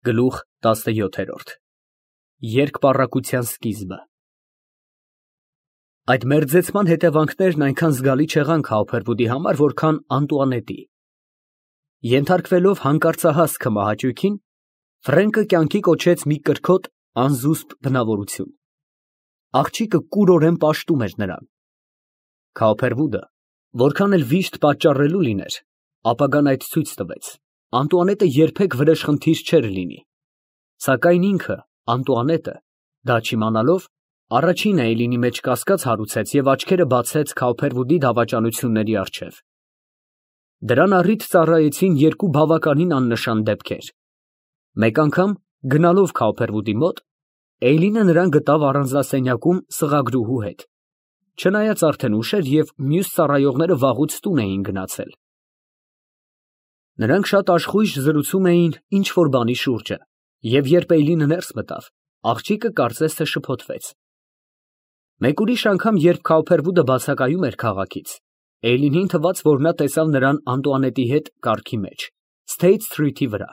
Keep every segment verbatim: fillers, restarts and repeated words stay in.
Գլուխ տասնյոթ. Երկպառակտության սկիզբը Այդ մերձեցման հետևանքներն այնքան զգալի չեղան Քավոփերվուդի համար, որքան Անտուանետի։ Ենթարկվելով հանկարծահաս քմահաճույքին, Ֆրենկը կյանքի կոչեց մի կրքոտ, անզուսպ բնավորություն։ Աղջիկը կուրորեն պաշտում էր նրան։ Քավոփերվուդը, որքան էլ վիշտ պատճառելու լիներ, ապագան այդ ցույց տվեց, Անտուանետը երբեք վրեժխնդիր չէր լինի, սակայն ինքը, Անտուանետը, դա չիմանալով, առաջինը Էյլինի մեջ կասկած հարուցեց և աչքերը բացեց Քավոփերվուդի դավաճանությունների առջև։ Դրան առիթ ծառայեցին երկու բավականին աննշան դեպքեր։ Մեկ անգամ, գնալով Քավոփերվուդի մոտ, Էյլինը նրան գտավ առանձնասենյակում սղագրուհու հետ, չնայած արդեն ուշ էր և մյուս ծառայողները վաղուց տուն էին գնացել։ Նրանք շատ աշխույժ զրուցում էին ինչ֊որ բանի շուրջը, և երբ Էյլինը ներս մտավ, աղջիկը կարծես թե շփոթվեց։ Մեկ ուրիշ անգամ, երբ Քավոփերվուդը բացակայում էր քաղաքից, Էյլինին թվաց, որ նա տեսավ նրան Անտուանետի հետ կառքի մեջ, Սթեյթ Սթրիթի վրա։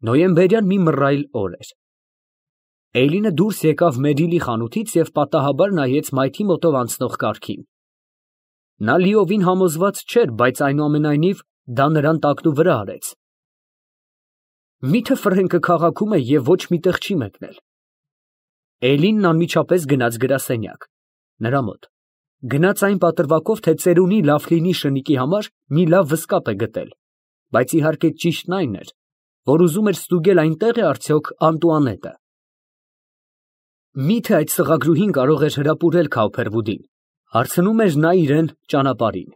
Նոյեմբերյան մի մռայլ օր էր։ Էյլինը դուրս եկավ Մերիլի խանութից և պատահաբար նայեց մայթի մոտով անցնող կառքին։ Նա լիովին համոզված չէր, բայց այնուամենայնիվ դա նրան տակնուվրա արեց։ Մի՞թե Ֆրենկը քաղաքում է և ոչ մի տեղ չի մեկնել։ Էյլինն անմիջապես գնաց գրասենյակ, նրա մոտ, գնաց այն պատրվակով, թե ծերունի Լաֆլինի շնիկի համար մի լավ վսկապ է գտել, բայց իհարկե ճիշտն այն էր, որ ուզում էր ստուգել այնտեղ է արդյոք Անտուանետը։ Մի՞թե այդ սղագրուհին կարող էր հրապուրել Քավոփերվուդին, հարցնում էր նա իրան ճանապարհին։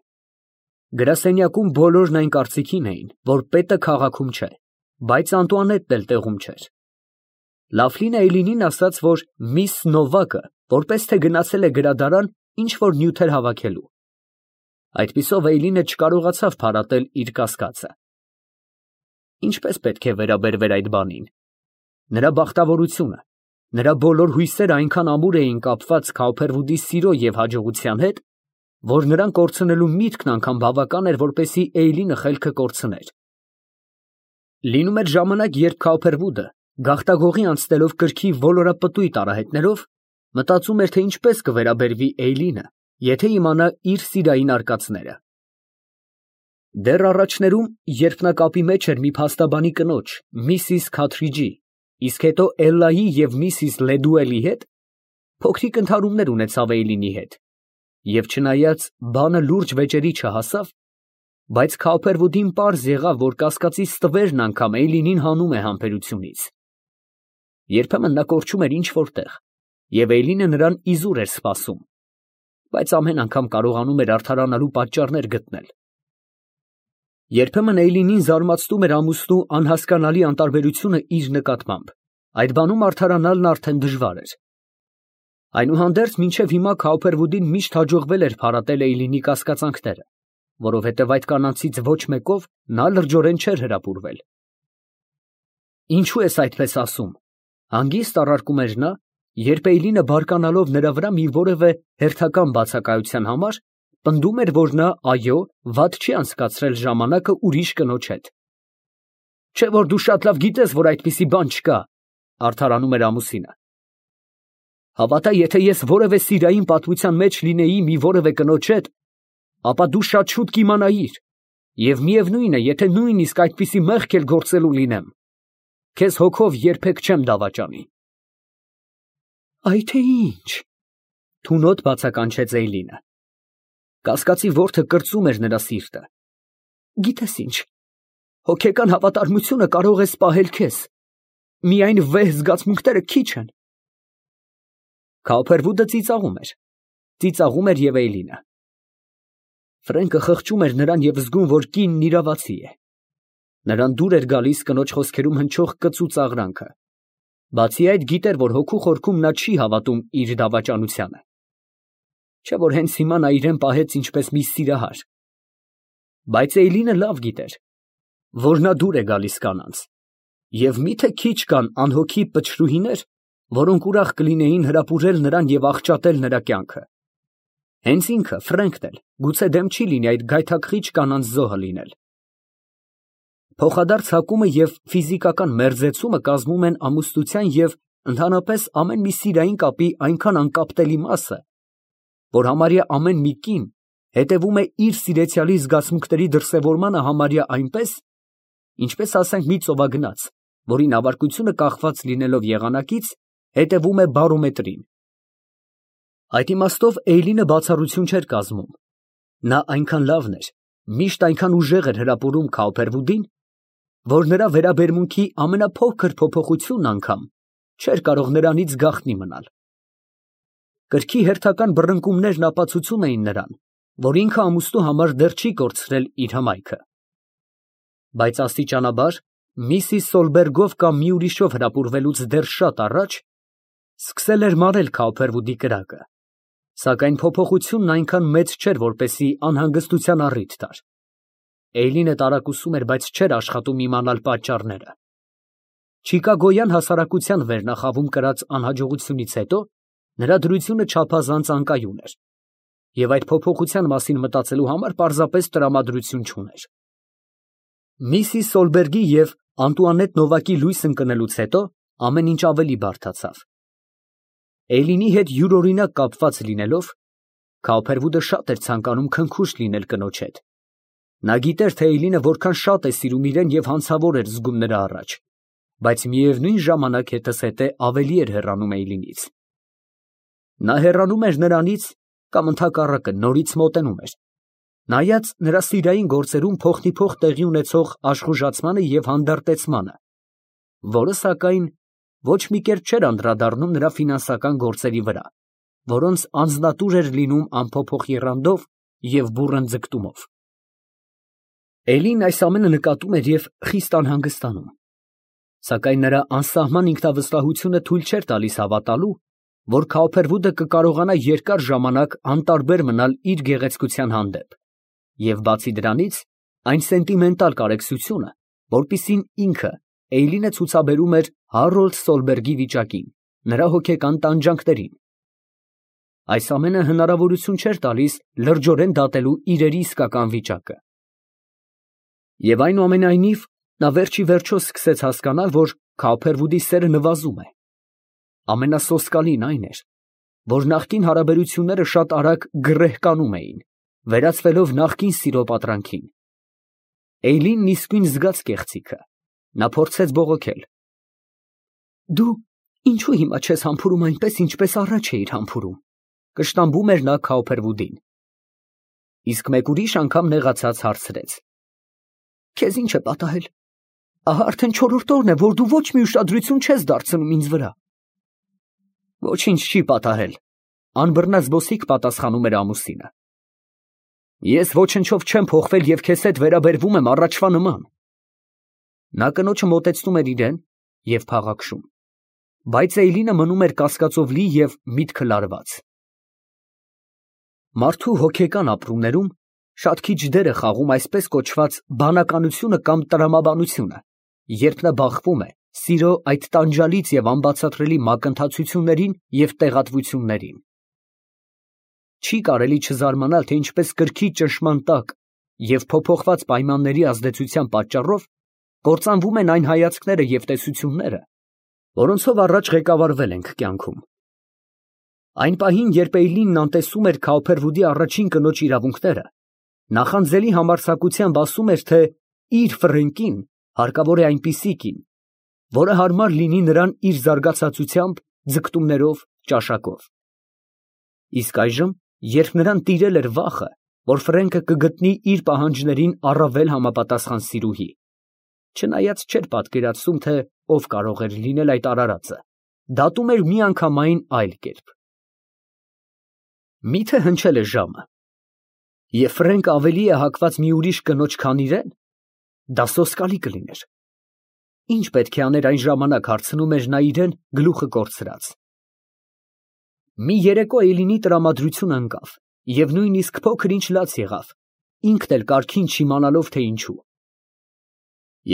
Գրասենյակում բոլորն այն կարծիքին էին, որ պետը քաղաքում չէ, բայց Անտուանետն էլ տեղում չէր։ Լաֆլինը Էյլինին ասաց, որ միս Նովակը որպես թե գնացել է գրադարան ինչ֊որ նյութեր հավաքելու։ Այդպիսով Էյլինը չկարողացավ փարատել իր կասկածը։ Ինչպես պետք է վերաբերվեր այդ բանին։ Նրա բախտավորությունը, նրա բոլոր հույսերը այնքան ամուր էին կապված Քավոփերվուդի սիրո և հաջողության հետ, որ նրան կորցնելու միտքն անգամ բավական էր, որպեսզի Էյլինը խելքը կորցներ։ Լինում էր ժամանակ, երբ Քավոփերվուդը, գաղտագողի անցնելով կրքի ոլորապտույտ արահետներով, մտածում էր, թե ինչպես կվերաբերվի Էյլինը, եթե իմանա իր սիրային արկածները։ Դեռ առաջներում, երբ նա կապի մեջ էր մի փաստաբանի կնոջ, միսիս Քաթրիջի, իսկ հետո Էլլայի և միսիս Լեդուելի հետ, փոքրիկ ընդհարումներ ունեցավ Էյլինի հետ, և չնայած բանը լուրջ վեճերի չհասավ, բայց Քավոփերվուդին պարզ եղավ, որ կասկածից ստվերն անգամ Էյլինին հանում է համբերությունից։ Երբեմն նա կորչում էր ինչ֊որ տեղ, և Էյլինը նրան իզուր էր սպասում, բայց ամեն անգամ կարողանում էր արդարանալու պատճառներ գտնել։ Երբեմն Էյլինին զարմացնում էր ամուսնու անհասկանալի անտարբերությունը իր նկատմամբ, այդ բանում արդարանալն արդեն դժվար էր։ Այնուհանդերձ մինչև հիմա Քավոփերվուդին միշտ հաջողվել էր փարատել Էյլինի կասկածանքները, որովհետև այդ կանանցից ոչ մեկով նա լրջորեն չէր հրապուրվել։ Ինչո՞ւ ես այդպես ասում, հանգիստ առարկում էր նա, երբ Էյլինը բարկանալով նրա վրա մի որևէ հերթական բացակայության համար, պնդում էր, որ նա, այո, վատ չի անցկացրել ժամանակը ուրիշ կնոջ հետ։ Չէ՞ որ դու շատ լավ գիտես, որ այդպիսի բան չկա, արդարանում էր ամուսինը։ Հավատա, եթե ես որևէ սիրային պատմության մեջ լինեի մի որևէ կնոջ հետ, ապա դու շատ շուտ կիմանայիր, և միևնույն է, եթե նույնիսկ այդպիսի մեղք էլ գործելու լինեմ, քեզ հոգով երբեք չեմ դավաճանի։ Այ թե ինչ, թունոտ բացականչեց Էյլինը։ Կասկածի որդը կրծում էր նրա սիրտը։ Գիտես ինչ, հոգեկան հավատարմությունը կարող է սպահել քեզ, միայն վեհ զգացմունքները քիչ են։ Քավոփերվուդը ծիծաղում էր, ծիծաղում էր և Էյլինը։ Ֆրենկը խղճում էր նրան և զգում, որ կինն իրավացի է։ Նրան դուր էր գալիս կնոջ խոսքերում հնչող կծու ծաղրանքը։ Բացի այդ, գիտեր, որ հոգու խորքում նա չի հավատում իր դավաճանությանը։ Չէ՞ որ հենց հիմա նա իրան պահեց ինչպես մի սիրահար։ Բայց Էյլինը լավ գիտեր, որ նա դուր է գալիս կանանց, և մի՞թե քիչ կան անհոգի պչրուհիներ, որոնք ուրախ կլինեին հրապուրել նրան և աղճատել նրա կյանքը։ Հենց ինքը, Ֆրենկն էլ, գուցե դեմ չի լինի այդ գայթակղիչ կանանց զոհը լինել։ Փոխադարձ հակումը և ֆիզիկական մերձեցումը կազմում են ամուսնության և ընդհանրապես ամեն մի սիրային կապի այնքան անկապտելի մասը, որ համարյա ամեն մի կին հետևում է իր սիրեցյալի զգացմունքների դրսևորմանը համարյա այնպես, ինչպես ասենք մի ծովագնաց, որի նավարկությունը կախված լինելով եղանակից, հետևում է բարոմետրին։ Այդ իմաստով Էյլինը բացառություն չէր կազմում. նա այնքան լավն էր, միշտ այնքան ուժեղ էր հրապուրում Քաուփերվուդին, որ նրա վերաբերմունքի ամենափոքր փոփոխությունն անգամ չէր կարող նրանից գաղտնի մնալ։ Կրքի հերթական բռնկումներն ապացուցում էին նրան, որ ինքը ամուսնու համար դեռ չի կորցրել իր հմայքը։ Բայց աստիճանաբար, միսիս Սոլբերգով կամ մի ուրիշով հրապուրվելուց դեռ շատ առաջ, սկսել էր մարել Քաուփերվուդի կրակը, սակայն փոփոխությունն այնքան մեծ չէր, որպեսզի անհանգստության առիթ տար։ Էյլինը տարակուսում էր, բայց չէր աշխատում իմանալ պատճառները։ Չիկագոյան հասարակության վերնախավում կրած անհաջողությունից հետո նրա դրությունը չափազանց անկայուն էր, և այդ փոփոխության մասին մտածելու համար պարզապես տրամադրություն չուներ։ Միսիս Սոլբերգի և Անտուանետ Նովակի լույս ընկնելուց հետո ամեն ինչ ավելի բարդացավ։ Էյլինի հետ յուրօրինակ կապված լինելով, Քաուփերվուդը շատ էր ցանկանում քնքուշ լինել կնոջ հետ։ Նա գիտեր, թե Էյլինը որքան շատ է սիրում իրեն և հանցավոր էր զգում նրա առաջ, բայց միևնույն ժամանակ հետզհետե ավելի էր հեռանում Էյլինից։ Նա հեռանում էր նրանից կամ ընդհակառակը նորից մոտենում էր, նայած նրա սիրային գործերում փոխնիփոխ տեղի ունեցող աշխուժացմանը և հանդարտեցմանը, որը, սակայն, ոչ մի կերպ չէր անդրադառնում նրա ֆինանսական գործերի վրա, որոնց անձնատուր էր լինում անփոփոխ եռանդով և բուռն ձգտումով։ Էլին այս ամենը նկատում էր և խիստ անհանգստանում, սակայն նրա անսահման ինքնավստահությունը թույլ չէր տալիս հավատալու, որ Քաուփերվուդը կկարողանա երկար ժամանակ անտարբեր մնալ իր գեղեցկության հանդեպ, և բացի դրանից, այն սենտիմենտալ կարեկցությունը, որպիսին ինքը, Էյլինը ցուցաբերում էր Հարոլդ Սոլբերգի վիճակին, նրա հոգեկան տանջանքներին։ Այս ամենը հնարավորություն չէր տալիս լրջորեն դատելու իրերի իսկական վիճակը։ Եվ այնուամենայնիվ, նա վերջիվերջո սկսեց հասկանալ, որ Քաուփերվուդի սերը նվազում է։ Ամենասոսկալին այն էր, որ նախկին հարաբերությունները շատ արագ գռեհկանում էին, վերածվելով նախկին սիրո պատրանքին։ Էյլինն իսկույն զգաց կեղծիքը, նա փորձեց բողոքել. «Դու ինչո՞ւ հիմա չես համբուրում այնպես, ինչպես առաջ էիր համբուրում», կշտամբում էր նա Քաուփերվուդին։ Իսկ մեկ ուրիշ անգամ նեղացած հարցրեց. «Քեզ ի՞նչ է պատահել։ Ահա արդեն չորրորդ օրն է, որ դու ոչ մի ուշադրություն չես դարձնում ինձ վրա»։ «Ոչինչ չի պատահել», անբռնած զբոսիկ պատասխանում էր ամուսինը։ «Ես ոչնչով չեմ փոխվել և քեզ հետ վերաբերվում եմ առաջվա նման»։ Նա կնոջը մոտեցնում էր իրան և փաղաքշում, բայց Էյլինը մնում էր կասկածով լի և միտքը լարված։ Մարդու հոգեկան ապրումներում շատ քիչ դեր է խաղում այսպես կոչված բանականությունը կամ տրամաբանությունը, երբ նա բախվում է սիրո այդ տանջալից և անբացատրելի մակընթացություններին և տեղատվություններին։ Չի կարելի չզարմանալ, թե ինչպես կրքի ճնշման տակ և փոփոխված պայմանների ազդեցության պատճառով կործանվում են այն հայացքները և տեսությունները, որոնցով առաջ ղեկավարվել ենք կյանքում։ Այն պահին, երբ Էյլինն անտեսում էր Քաուփերվուդի առաջին կնոջ իրավունքները, նախանձելի համարձակությամբ ասում էր, թե իր Ֆրենկին հարկավոր է այնպիսի կին, որը հարմար լինի նրան իր զարգացածությամբ, ձգտումներով, ճաշակով։ Իսկ այժմ, երբ նրան տիրել էր վախը, որ Ֆրենկը կգտնի իր պահանջներին առավել համապատասխան սիրուհի, չնայած չէր պատկերացնում, թե ով կարող էր լինել այդ արարածը, դատում էր միանգամայն այլ կերպ։ Մի՞թե հնչել է ժամը, և Ֆրենկը ավելի է հակված մի ուրիշ կնոջ, քան իրեն, դա սոսկալի կլիներ։ Ի՞նչ պետք է աներ այն ժամանակ, հարցնում էր նա իրան գլուխը կորցրած։ Մի երեկո Էյլինի տրամադրությունը ընկավ, և նույնիսկ փոքր ինչ լաց եղավ, ինքն էլ կարգին չիմանալով, թե ինչու։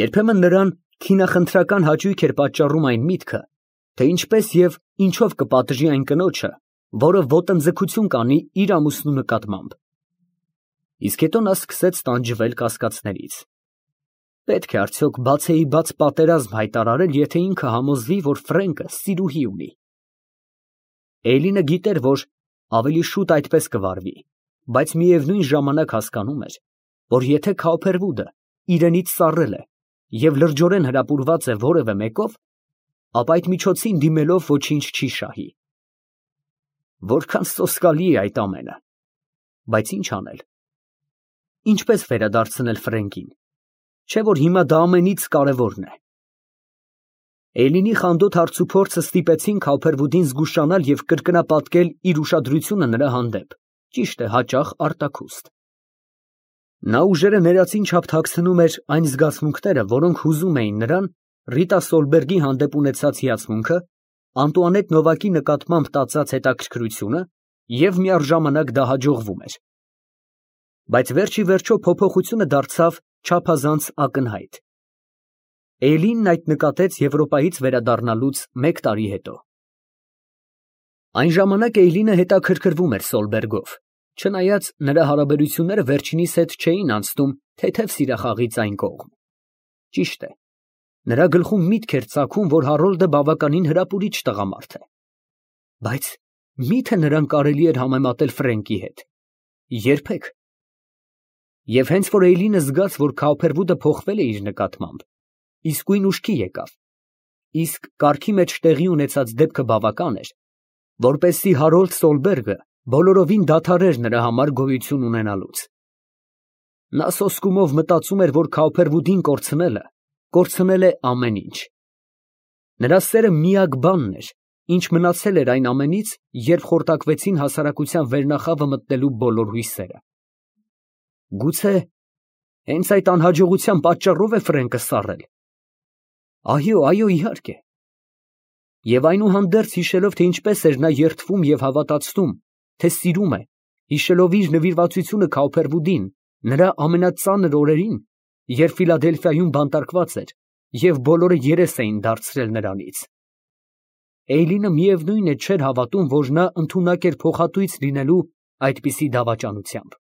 Երբեմն նրան քինախնդրական հաճույք էր պատճառում այն միտքը, թե ինչպես և ինչով կպատժի այն կնոջը, որը ոտնձգություն կանի իր ամուսնու նկատմամբ։ Իսկ հետո նա սկսեց տանջվել կասկածներից։ Պետք է արդյոք բացեի բաց պատերազմ հայտարարել, եթե ինքը համոզվի, որ Ֆրենկը սիրուհի ունի։ Էյլինը գիտեր, որ ավելի շուտ այդպես կվարվի, բայց միևնույն ժամանակ հասկանում էր, որ եթե Քոփերվուդը իրենից սառել է և լրջորեն հրապուրված է որևէ մեկով, ապա այդ միջոցին դիմելով ոչինչ չի շահի։ Որքան սոսկալի է այդ ամենը, բայց ինչ անել։ Ինչպես վերադարձնել Ֆրենկին, չէ՞ որ հիմա դա ամենից կարևորն է։ Էյլինի խանդոտ հարցուփորձը ստիպեցին Քոփերվուդին զգուշանալ և կրկնապատկել իր ուշադրությունը նրա հանդեպ, ճիշտ է, հաճախ արտաքուստ։ Նա ուժերը ներածին չափ թաքցնում էր այն զգացմունքները, որոնք հուզում էին նրան, Ռիտա Սոլբերգի հանդեպ ունեցած հիացմունքը, Անտուանետ Նովակի նկատմամբ տածած հետաքրքրությունը և միառժամանակ դա հաջողվում էր։ Բայց վերջ ի վերջո փոփոխությունը դարձավ չափազանց ակնհայտ։ Էյլինն այդ նկատեց Եվրոպայից վերադառնալուց մեկ տարի հետո։ Այն ժամանակ Էյլինը հետաքրքրվում էր Սոլբերգով, չնայած նրա հարաբերությունները վերջինիս հետ չէին անցնում թեթև սիրախաղից այն կողմ։ Ճիշտ է, նրա գլխում միտք էր ծագում, որ Հարոլդը բավականին հրապուրիչ տղամարդ է։ Բայց մի՞թե նրան կարելի էր համեմատել Ֆրենկի հետ։ Երբեք։ Եվ հենց որ Էյլինը զգաց, որ Քոփերվուդը փոխվել է իր նկատմամբ, իսկույն ուշքի եկավ, իսկ կարգի մեջ տեղի ունեցած դեպքը բավական էր, որպեսզի Հարոլդ Սոլբերգը բոլորովին դադարեր նրա համար գոյություն ունենալուց։ Նա սոսկումով մտածում էր, որ Քոփերվուդին կորցնելը կորցնել է ամեն ինչ։ Նրա սերը միակ բանն էր, ինչ մնացել էր այն ամենից, երբ խորտակվեցին հասարակության վերնախավը մտնելու բոլոր հույսերը։ Գուցե հենց այդ անհաջողության պատճառով է Ֆրենկը սառել։ Այո, այո, իհարկե։ Եվ այնուհանդերձ հիշելով, թե ինչպես էր նա երդվում և հավատացնում, թե սիրում է, հիշելով իր նվիրվածությունը Քոփերվուդին, նրա ամենածանր օրերին, երբ Ֆիլադելֆիայում բանտարկված էր, և բոլորը երես էին դարձրել նրանից, Էյլինը միևնույն է չէր հավատում, որ նա ընդունակ էր փոխատույց լինելու այդպիսի դավաճանությամբ։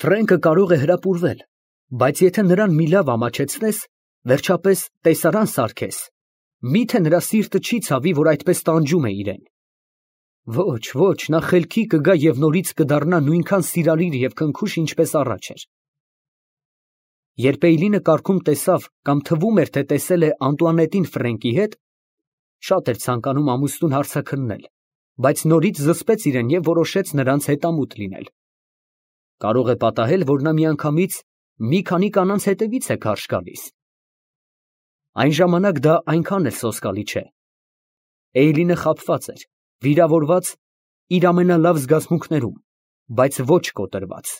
Ֆրենկը կարող է հրապուրվել, բայց եթե նրան մի լավ ամաչեցնես, վերջապես տեսարան սարքես, մի՞թե նրա սիրտը չի ցավի, որ այդպես տանջում է իրեն։ Ոչ, ոչ, նա խելքի կգա և նորից կդառնա նույնքան սիրալիր և քնքուշ, ինչպես առաջ էր։ Երբ Էյլինը կառքում տեսավ կամ թվում էր, թե տեսել է Անտուանետին Ֆրենկի հետ, շատ էր ցանկանում ամուսնուն հարցաքննել, բայց նորից զսպեց իրեն և որոշեց նրանց հետամուտ լինել։ Կարող է պատահել, որ նա միանգամից մի քանի կանանց հետևից է քարշ գալիս։ Այն ժամանակ դա այնքան էլ սոսկալի չէ։ Էյլինը խաբված էր, վիրավորված իր ամենալավ զգացմունքներում, բայց ոչ կոտրված։